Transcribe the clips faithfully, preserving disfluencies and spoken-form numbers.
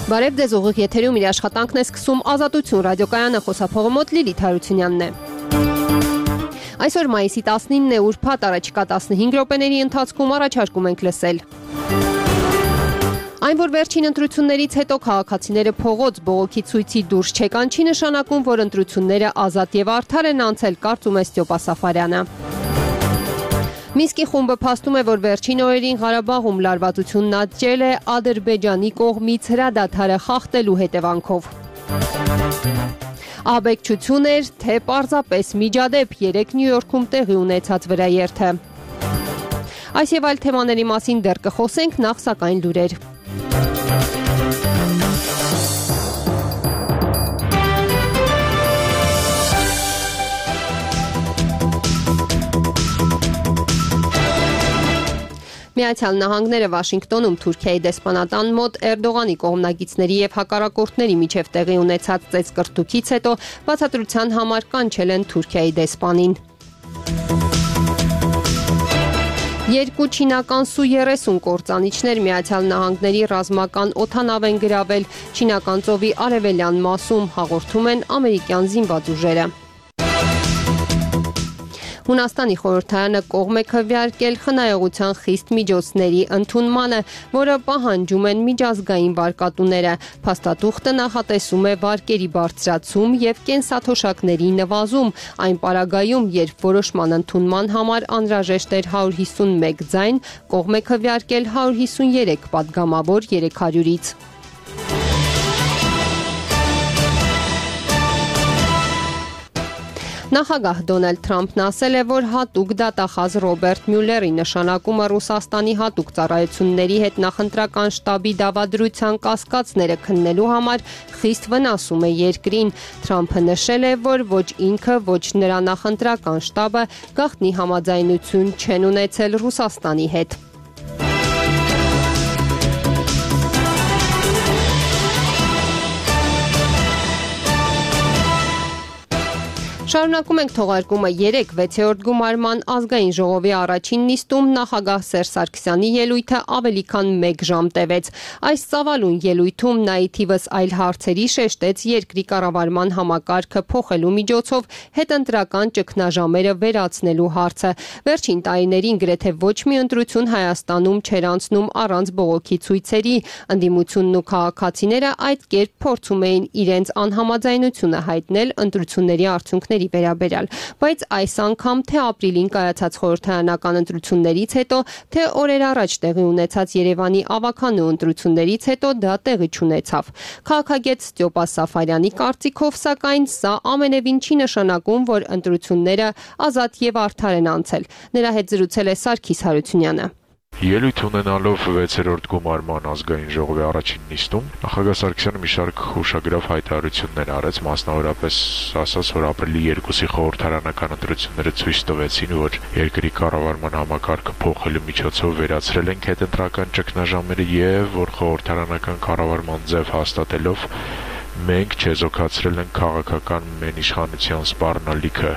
Բարև ձեզ, ուղիղ եթերում իր աշխատանքն է սկսում Ազատություն ռադիոկայանը, խոսափողը մոտ Լիլիթ Հարությունյանն է։ Այսօր մայիսի տասնինն է, ուրբաթ, առաջիկա տասնհինգ րոպեների ընթացքում առաջարկում ենք լսել. Այն, որ վերջին ընտրություններից հետո քաղաքացիները փողոց բողոքի ցույցի դուրս չեկան, չի նշանակում, որ ընտրությունները ազատ եւ արդար են անցել, կարծում է Ստյոպա Սաֆարյանը։ Մինսկի խումբը փաստում է, որ վերջին օրերին Ղարաբաղում լարվածությունն աճել է Ադրբեջանի կողմից հրադադարը խախտելու հետևանքով։ Ահաբեկչություն էր, թե պարզապես միջադեպ, երեկ Նյու Յորքում տեղի ունեցած վրաերթը։ Այս եւ այլ թեմաների մասին դեռ կխոսենք, նախ սակայն լուրեր։ Միացյալ Նահանգները Վաշինգտոնում Թուրքիայի դեսպանատան մոտ Էրդողանի կողմնակիցների եւ հակառակորդների միջև տեղի ունեցած ծեծկռտուքից հետո բացատրության համար կանչել են Թուրքիայի դեսպանին։ Երկու չինական Սու երեսուն կործանիչներ Միացյալ Նահանգների ռազմական օդանավ են գրավել Չինական ծովի արևելյան մասում, հաղորդում են ամերիկյան զինված ուժերը։ Հունաստանի խորհրդարանը կողմ է քվեարկել խնայողության խիստ միջոցների ընդունմանը, որը պահանջում են միջազգային վարկատուները։ Փաստաթուղթը նախատեսում է վարկերի բարձրացում եւ կենսաթոշակների նվազում, այն պարագայում, երբ որոշման ընդունման համար անհրաժեշտ էր հարյուր հիսունմեկ ձայն, կողմ է քվեարկել հարյուր հիսուներեք պատգամավոր երեք հարյուրից։ Նախագահ Դոնալդ Թրամփն ասել է, որ հատուկ դատախազ Ռոբերտ Մյուլլերի նշանակումը Ռուսաստանի հատուկ ծառայությունների հետ նախընտրական շտաբի դավադրության կասկածները քննելու համար խիստ վնասում է երկրին։ Թրամփը նշել է, որ ոչ ինքը, ոչ նրա նախընտրական շտաբը գաղտնի համաձայնություն չեն ունեցել Ռուսաստանի հետ։ Շարունակում ենք թողարկումը երեկ վեցերորդ գումարման ազգային ժողովի առաջին նիստում նախագահ Սերժ Սարգսյանի ելույթը ավելի քան մեկ ժամ տևեց։ Այս ծավալուն ելույթում նա ի թիվս այլ հարցերի շեշտեց երկրի կառավարման համակարգը փոխելու միջոցով հետընտրական ճգնաժամերը վերացնելու հարցը։ Վերջին տարիներին գրեթե ոչ մի ընտրություն Հայաստանում չէր անցնում առանց բողոքի ցույցերի։ Ընդդիմությունն ու քաղաքացիները այդ կերպ փորձում էին իրենց անհամաձայնությունը հայտնել ընտրությունների արդյունքների վերաբերյալ, բայց այս անգամ թե ապրիլին կայացած խորհրդարանական ընտրություններից հետո, թե օրեր առաջ տեղի ունեցած Երևանի ավագանու ընտրություններից հետո դա տեղի չունեցավ։ Քաղաքագետ Ստյոպա Սաֆարյանի կարծիքով, սակայն, սա ամենևին չի նշանակում, որ ընտրությունները ազատ եւ արդար են անցել։ Նրա հետ զրուցել է Սարգիս Հարությունյանը։ Ելույթ ունենալով վեցերորդ գումարման ազգային ժողովի առաջին նիստում, նախագահ Սարգսյանը մի շարք հուշագրավ հայտարարություններ արեց, մասնավորապես ասաց, որ ապրիլի երկուսի խորհրդարանական ընտրությունները ցույց տվեցին, որ երկրի կառավարման համակարգը փոխելու միջոցով վերացրել ենք հետընտրական ճգնաժամերը եւ որ խորհրդարանական կառավարման ձև հաստատելով մենք չեզոքացրել ենք քաղաքական մենիշխանության սպառնալիքը։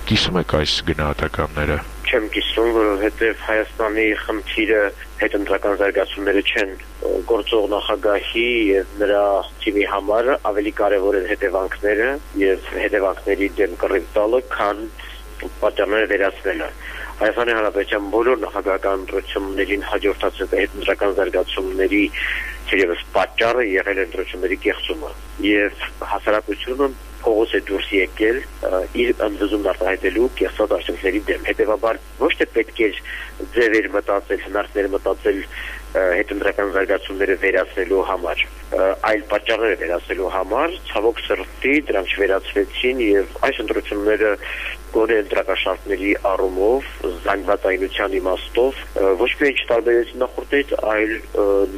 Կիսում եք այս գնահատականները։ Չեմ կիսում, որովհետև Հայաստանի խնդիրը հետընտրական զարգացումները չեն, գործող նախագահի եւ նրա թիմի համար ավելի կարեւոր են հետևանքները եւ հետևանքների դեմ կռիվ տալը, քան պատճառները վերացնելը։ Հայաստանի Հանրապետության բոլոր նախագահական ընտրություններին հաջորդած հետընտրական զարգացումների թերևս պատճառը եղել է ընտրությունների կեղծումը եւ հասարակությունը փողոց է դուրս եկել իր ընդվզումն արտահայտելու կեղծած արդյունքների դեմ։ Հետևաբար ոչ թե պետք է ձևեր մտածել, հնարքներ մտածել հետընտրական զարգացումները վերացնելու համար, այլ պատճառները վերացնելու համար, ցավոք սրտի դրանք չվերացվեցին եւ այս ընտրությունները գոնե ընտրակաշարքների առումով, զանգվածայնության իմաստով ոչ միայն չտարբերեցին նախորդից, այլ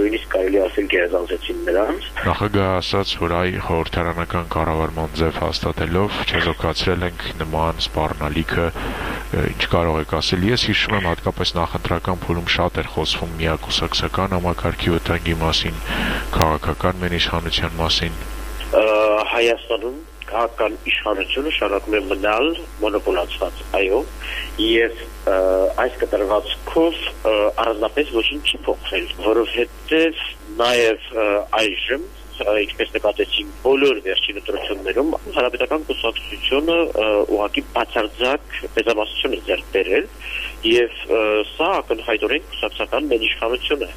նույնիսկ կարելի ասել գերազանցեցին նրանց։ Նախագահը ասաց, որ այ խորհրդարանական կառավարման ձև հաստատելով չեզոքացրել ենք նման սպառնալիքը, ինչ կարող եք ասել։ Ես հիշում եմ, հատկապես նախընտրական փուլում շատ էր խոսվում միակուսակցական համակարգի վտանգի մասին, քաղաքական մենիշխանության մասին։ Հայաստանում քաղաքական իշխանությունը շարունակում է մնալ մոնոպոլացված, այո, եւ այս կտրվածքով առանձնապես ոչինչ չի փոխվել, որովհետեւ նաեւ այժմ ինչպես նկատեցինք բոլոր վերջին ընտրություններում, հանրապետական կուսակցությունը ուղղակի բացարձակ մեծամասնություն է ձեռք բերել եւ սա ակնհայտորեն կուսակցական ներիշխանություն է։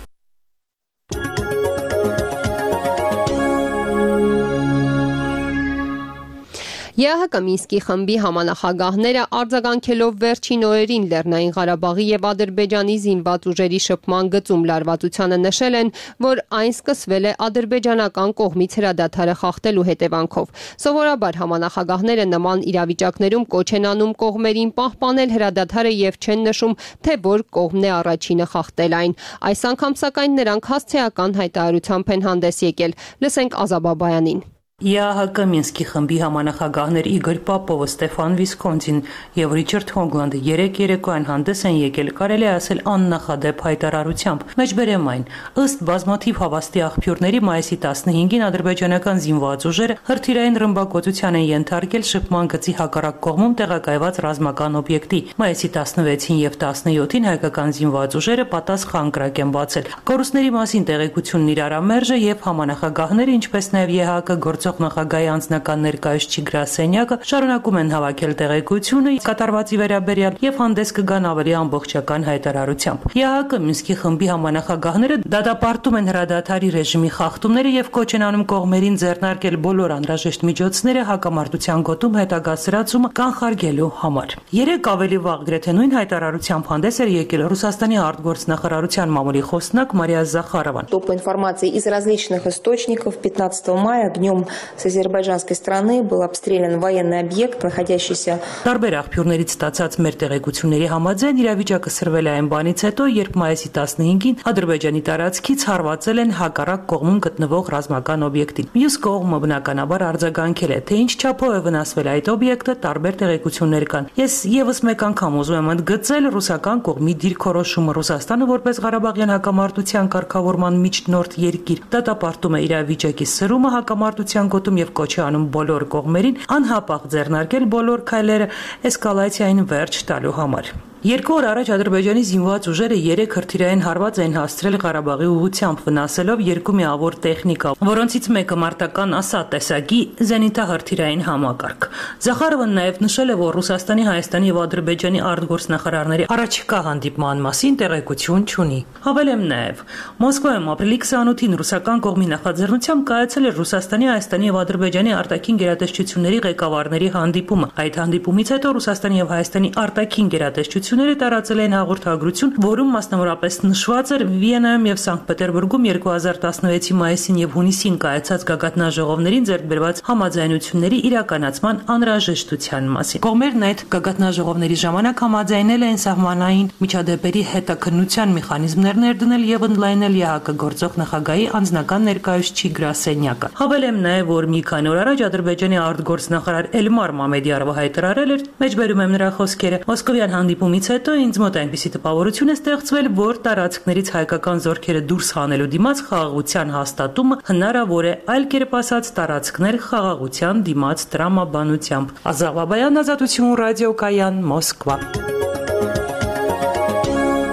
ԵԱՀԿ Մինսկի խմբի համանախագահները արձագանքելով վերջին օրերին Լեռնային Ղարաբաղի եւ Ադրբեջանի զինված ուժերի շփման գծում լարվածությանը նշել են, որ այն սկսվել է ադրբեջանական կողմից հրադադարը խախտելու հետևանքով։ Սովորաբար համանախագահները նման իրավիճակներում կոչ են անում կողմերին պահպանել հրադադարը եւ չեն նշում, թե որ կողմն է առաջինը խախտել այն։ Այս անգամ սակայն նրանք հասցեական հայտարարությամբ են հանդես եկել։ Լսենք Ազաբաբայանին։ ԵԱՀԿ Մինսկի խմբի համանախագահներ Իգոր Պապովը, Ստեփան Վիսկոնցին եւ Ռիչարդ Հոգլանդը երեք երեկոյան հանդես են եկել, կարելի է ասել աննախադեպ հայտարարությամբ։ Մեջբերեմ այն, ըստ բազմաթիվ հավաստի աղբյուրների մայիսի տասնհինգին ադրբեջանական զինված ուժերը հրթիռային ռմբակոծության են ենթարկել շփման գծի հակառակ կողմում տեղակայված ռազմական օբյեկտի։ Մայիսի տասնվեցին եւ տասնյոթին հայկական զինված ուժերը պատասխան կրակ են բացել։ Կորուստների մասին տեղեկությունն իրարամերժ է եւ համանախագահները, ինչպես նաեւ ԵԱՀԿ գործող նախագահի անձնական ներկայացուցիչ գրասենյակը շարունակում են հավաքել տեղեկությունը կատարվածի վերաբերյալ եւ հանդես կգան ավելի ամբողջական հայտարարությամբ։ ԵԱՀԿ Մինսկի խմբի համանախագահները դատապարտում են հրադադարի ռեժիմի խախտումները եւ կոչ են անում կողմերին ձեռնարկել բոլոր անհրաժեշտ միջոցները հակամարտության գոտում հետագա սրացումը կանխարգելու համար։ Երեք ավելի վաղ գրեթե նույն հայտարարությամբ հանդես էր եկել Ռուսաստանի արտգործնախարարության մամուլի խոսնակ Մարիա Զախարովան։ Топ информации из различных источников пятнадцатого мая днем с азербайджанской стороны был обстрелян военный объект, находящийся. Տարբեր աղբյուրներից ստացած մեր տեղեկությունների համաձայն իրավիճակը սրվել է այն բանից հետո, երբ մայիսի տասնհինգին Ադրբեջանի տարածքից հարվածել են հակառակ կողմում գտնվող ռազմական օբյեկտին։ Մյուս կողմը բնականաբար արձագանքել է, թե ինչ չափով է վնասվել այդ օբյեկտը, տարբեր տեղեկություններ կան։ Ես եւս մեկ անգամ ուզում եմ ընդգծել ռուսական կողմի դիրքորոշումը Ռուսաստանը որպես Ղարաբաղյան հակամարտության կարգավորման միջնորդ երկիր դատապարտում է իրավիճակի սրումը հակամարտության գոտում եւ կոչ է անում բոլոր կողմերին անհապաղ ձեռնարկել բոլոր քայլերը էսկալացիային վերջ տալու համար։ Երկու օր առաջ Ադրբեջանի զինված ուժերը երեք հրթիռային հարված են հասցրել Ղարաբաղի ուղղությամբ, վնասելով երկու միավոր տեխնիկա, որոնցից մեկը մարտական ասատ տեսակի զենիթահրթիռային համակարգ։ Զախարովն նաև նշել է, որ Ռուսաստանի, Հայաստանի եւ Ադրբեջանի արտգործնախարարների առաջիկա հանդիպման մասին տեղեկություն չունի։ Հավելեմ նաև, Մոսկվայում ապրիլի քսանութին ռուսական կողմի նախաձեռնությամբ կայացել էր Ռուսաստանի, Հայաստանի եւ Ադրբեջանի արտաքին գերատեսչությունների ղեկավարների հանդիպումը։ Այդ հանդիպումից հետո Ռուսաստանի եւ Հայաստանի արտաքին գերատեսչությունները տարածել են հաղորդագրություն, որում մասնավորապես նշված էր Վիեննայում եւ Սանկտ Պետերբուրգում երկու հազար տասնվեցի մայիսին եւ հունիսին կայացած գագաթնաժողովներին ձեռք բերված համաձայնությունների իրականացման անհրաժեշտության մասին։ Կողմերն այդ գագաթնաժողովների ժամանակ համաձայնել են սահմանային միջադեպերի հետաքննության մեխանիզմներ ներդնել եւ ընդլայնել ԵԱՀԿ գործող նախագահի անձնական ներկայացուցիչ գրասենյակը։ Հավելեմ նաեւ, որ մի քանի օր առաջ Ադրբեջանի արտգործնախարար Էլմար Մամեդիարովը հայտարարել էր, մեջբերում եմ նրա խոսքերը, մոսկովյան հանդիպումից հետո ինձ մոտ այնպիսի տպավորություն է ստեղծվել, որ տարածքներից հայկական զորքերը դուրս հանելու դիմաց խաղաղության հաստատումը հնարավոր է, այլ կերպ ասած տարածքներ խաղաղության դիմաց տրամաբանությամբ։ Ազավաբայան, Ազատություն ռադիոկայան, Մոսկվա։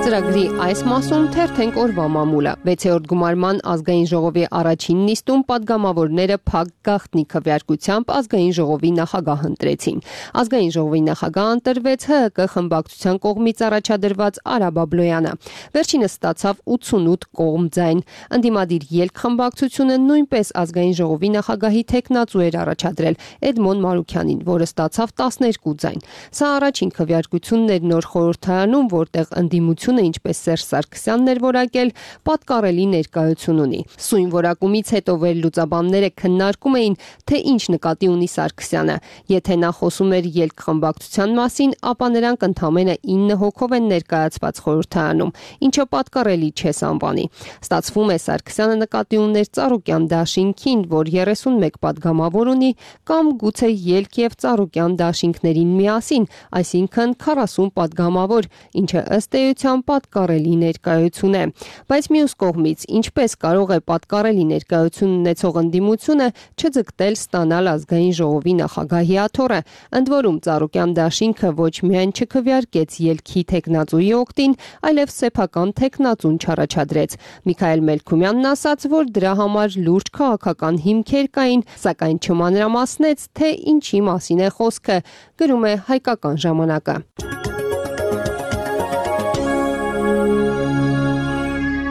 Ծրագրի այս մասում թերթենք օրվա մամուլը։ վեցերորդ գումարման ազգային ժողովի առաջին նիստում падգամավորները փակ գաղտնի քվեարկությամբ ազգային ժողովի նախագահ ընտրեցին։ Ազգային ժողովի նախագահ ընտրվեց ՀՀԿ խմբակցության կողմից առաջադրված Արա Բաբլոյանը։ Վերջինս ստացավ ութսունութ կողմ ձայն։ Ընդդիմադիր ելք խմբակցությունը նույնպես ազգային ժողովի նախագահի թեկնածու էր առաջադրել Էդմոն Մարուքյանին, որը ստացավ տասներկու ձայն։ Սա առաջին քվեարկությունն էր նոր խորհրդարանում, որտեղ ընդդիմությունը ինչպես Սերժ Սարգսյանն էր որակել, պատկառելի ներկայություն ունի։ Սույն որակումից հետո վերլուծաբանները քննարկում էին, թե ինչ նկատի ունի Սարգսյանը։ Եթե նա խոսում էր ելք խմբակցության մասին, ապա նրանք ընդամենը ինը հոգով են ներկայացված խորհրդարանում, ինչը պատկառելի չէ անվանի։ Ստացվում է Սարգսյանը նկատի ուներ Ծառուկյան դաշինքին, որ երեսունմեկ падգամավոր ունի, կամ գուցե ելք եւ Ծառուկյան դաշինքներին միասին, այսինքն քառասուն падգամավոր, ինչը ըստ էության անպատկառելի ներկայություն է։ Բայց մյուս կողմից, ինչպես կարող է պատկառելի ներկայություն ունեցող ընդդիմությունը չձգտել ստանալ ազգային ժողովի նախագահի աթոռը, ընդ որում Ծառուկյան դաշինքը ոչ միայն չքվեարկեց ելքի թեկնածուի օգտին, այլև սեփական թեկնածուն չառաջադրեց։ Միքայել Մելքումյանն ասաց, որ դրա համար լուրջ քաղաքական հիմքեր կային, սակայն չմանրամասնեց, թե ինչի մասին է խոսքը, գրում է Հայկական ժամանակը։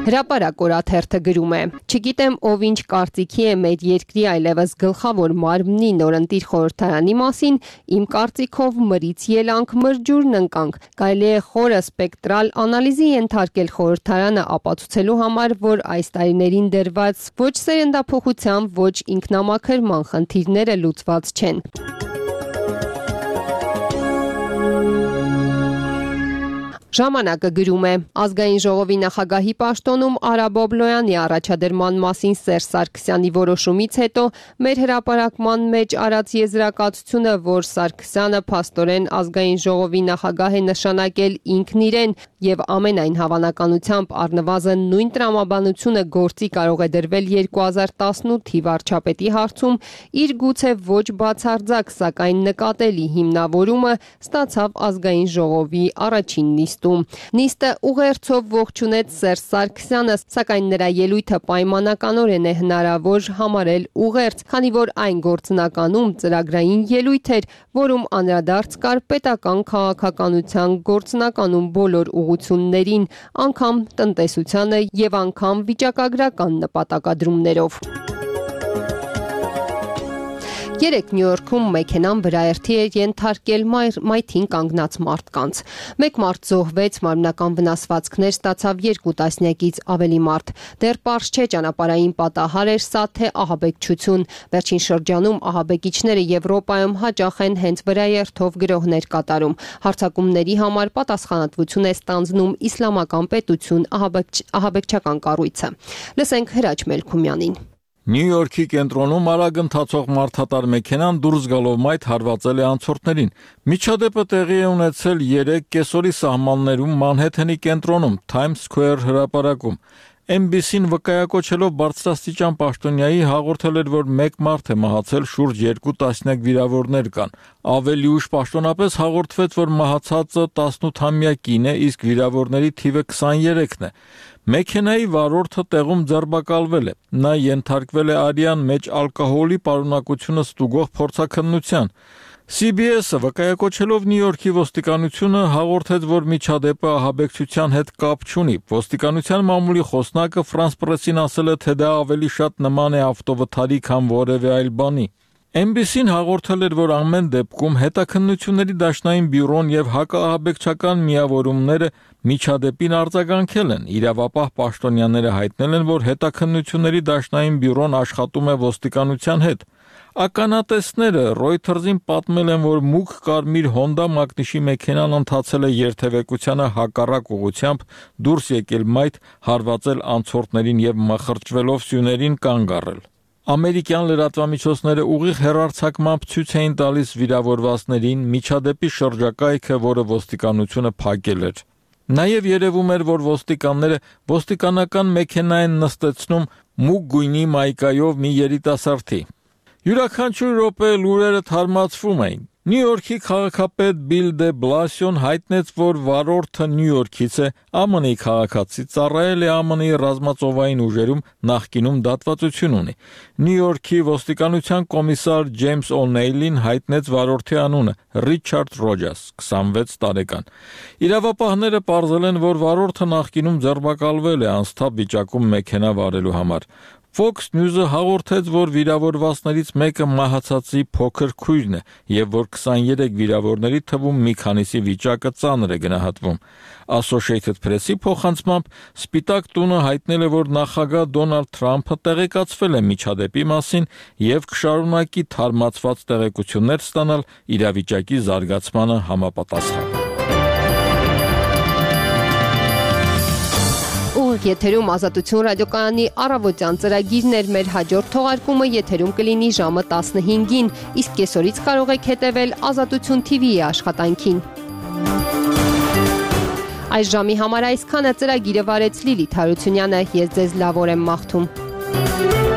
Հրապարակ օրաթերթը գրում է. «Չգիտեմ ով ինչ կարծիքի է մեր երկրի այլևս գլխավոր մարմնի նորընտիր խորհրդարանի մասին, իմ կարծիքով մրից ելանք, մրջուրն ընկանք։ Կարելի է խորը սպեկտրալ անալիզի ենթարկել խորհրդարանը ապացուցելու համար, որ այս տարիներին դրված ոչ սերնդափոխության, ոչ ինքնամաքրման խնդիրները լուծված չեն»։ Ժամանակը գրում է. ազգային ժողովի նախագահի պաշտոնում Արա Բոբլոյանի առաջադրման մասին Սերժ Սարգսյանի որոշումից հետո մեր հրապարակման մեջ արած եզրակացությունը, որ Սարգսյանը փաստորեն ազգային ժողովի նախագահ է նշանակել ինքն իրեն եւ ամենայն հավանականությամբ առնվազն նույն տրամաբանությունը գործի կարող է դրվել երկու հազար տասնութի վարչապետի հարցում, իր գուցե ոչ բացարձակ, սակայն նկատելի հիմնավորումը ստացավ ազգային ժողովի առաջին նիստում։ Նիստը ուղերձով ողջունեց Սերժ Սարգսյանը, սակայն նրա ելույթը պայմանականորեն է հնարավոր համարել ուղերձ, քանի որ այն գործնականում ծրագրային ելույթ էր, որում անդրադարձ կար պետական քաղաքականության գործնականում բոլոր ուղղություններին, անգամ տնտեսությանը եւ անգամ վիճակագրական նպատակադրումներով։ Երեկ Նյու Յորքում մեքենան վրաերթի էր ենթարկել մայթին կանգնած մարդկանց։ Մեկ մարդ զոհվեց, մարմնական վնասվածքներ ստացավ երկու տասնյակից ավելի մարդ։ Դեռ պարզ չէ ճանապարհային պատահար էր սա, թե ահաբեկչություն։ Վերջին շրջանում ահաբեկիչները Եվրոպայում հաճախ են հենց վրաերթով գրոհներ կատարում։ Հարձակումների համար պատասխանատվություն է ստանձնում Իսլամական պետություն ահաբեկչական կառույցը։ Լսենք Հրաչ Մելքումյանին։ Նյու Յորքի կենտրոնում արագ ընթացող մարդատար մեքենան դուրս գալով մայթ հարվածել է անցորդներին։ Միջադեպը տեղի է ունեցել երեկ կեսօրի սահմաններում Մանհեթենի կենտրոնում, Times Square հրապարակում։ Էն բի սին վկայակոչելով բարձրաստիճան պաշտոնյայի հաղորդել էր, որ մեկ մարդ է մահացել, շուրջ երկու տասնյակ վիրավորներ կան։ Ավելի ուշ պաշտոնապես հաղորդվեց, որ մահացածը տասնութամյա կին է, իսկ վիրավորների թիվը քսաներեքն է։ Մեքենայի վարորդը տեղում ձերբակալվել է։ Նա ենթարկվել է արյան մեջ ալկոհոլի պարունակությունը ստուգող փորձաքննության։ Սի Բի Էսը վկայակոչելով Նյու Յորքի ոստիկանությունը հաղորդեց, որ միջադեպը ահաբեկչության հետ կապ չունի։ Ոստիկանության մամուլի խոսնակը Ֆրանս Պրեսին ասել է, թե դա ավելի շատ նման է ավտովթարի, քան որևէ այլ բանի։ Էն բի սին հաղորդել էր, որ ամեն դեպքում հետաքննությունների դաշնային բյուրոն եւ հակաահաբեկչական միավորումները միջադեպին արձագանքել են։ Իրավապահ պաշտոնյաները հայտնել են, որ հետաքննությունների դաշնային բյուրոն աշխատում է ոստիկանության հետ։ Ականատեսները Reuters-ին պատմել են, որ մուգ կարմիր Honda մակնիշի մեքենան ընթացել է երթևեկությանը հակառակ ուղղությամբ, դուրս եկել մայթ, հարվածել անցորդներին եւ մխրճվելով սյուներին կանգ առել։ Ամերիկյան լրատվամիջոցները ուղիղ հեռարձակմամբ ցույց էին տալիս վիրավորվածներին միջադեպի շրջակայքը, որը ոստիկանությունը փակել էր։ Նաև երևում էր, որ ոստիկանները ոստիկանական մեքենա են նստեցնում մուգ գույնի մայկայով մի երիտասարդի։ Յուրաքանչյուր րոպե լուրերը թարմացվում էին։ Նյու Յորքի քաղաքապետ Բիլ դե Բլասիոն հայտնեց, որ վարորդը Նյու Յորքից է, Ա Մ Նի քաղաքացի, ծառայել է Ա Մ Նի ռազմածովային ուժերում, նախկինում դատվածություն ունի։ Նյու Յորքի ոստիկանության կոմիսար Ջեյմս Օ'Նեյլին հայտնեց վարորդի անունը՝ Ռիչարդ Ռոջաս, քսանվեց տարեկան։ Իրավապահները պարզել են, որ վարորդը նախկինում ձերբակալվել է անսթափ վիճակում մեքենա վարելու համար։ Fox News-ը հաղորդեց, որ վիրավորվածներից մեկը մահացածի փոքր քույրն է եւ որ քսաներեք վիրավորների թվում մի քանիսի վիճակը ծանր է գնահատվում։ Associated Press-ի փոխանցմամբ Սպիտակ տունը հայտնել է, որ նախագահ Դոնալդ Թրամփը տեղեկացվել է միջադեպի մասին եւ կշարունակի թարմացված տեղեկություններ ստանալ իրավիճակի զարգացմանը համապատասխան։ Եթերում Ազատություն ռադիոկայանի առավոտյան ծրագիրն էր, մեր հաջորդ թողարկումը եթերում կլինի ժամը տասնհինգին, իսկ կեսօրից կարող եք հետևել Ազատություն Թի Վիի աշխատանքին։ Այս ժամի համար այսքանը ծրագիրը վարեց Լիլիթ Հարությունյանը, ես ձեզ լավ օր եմ մաղթում։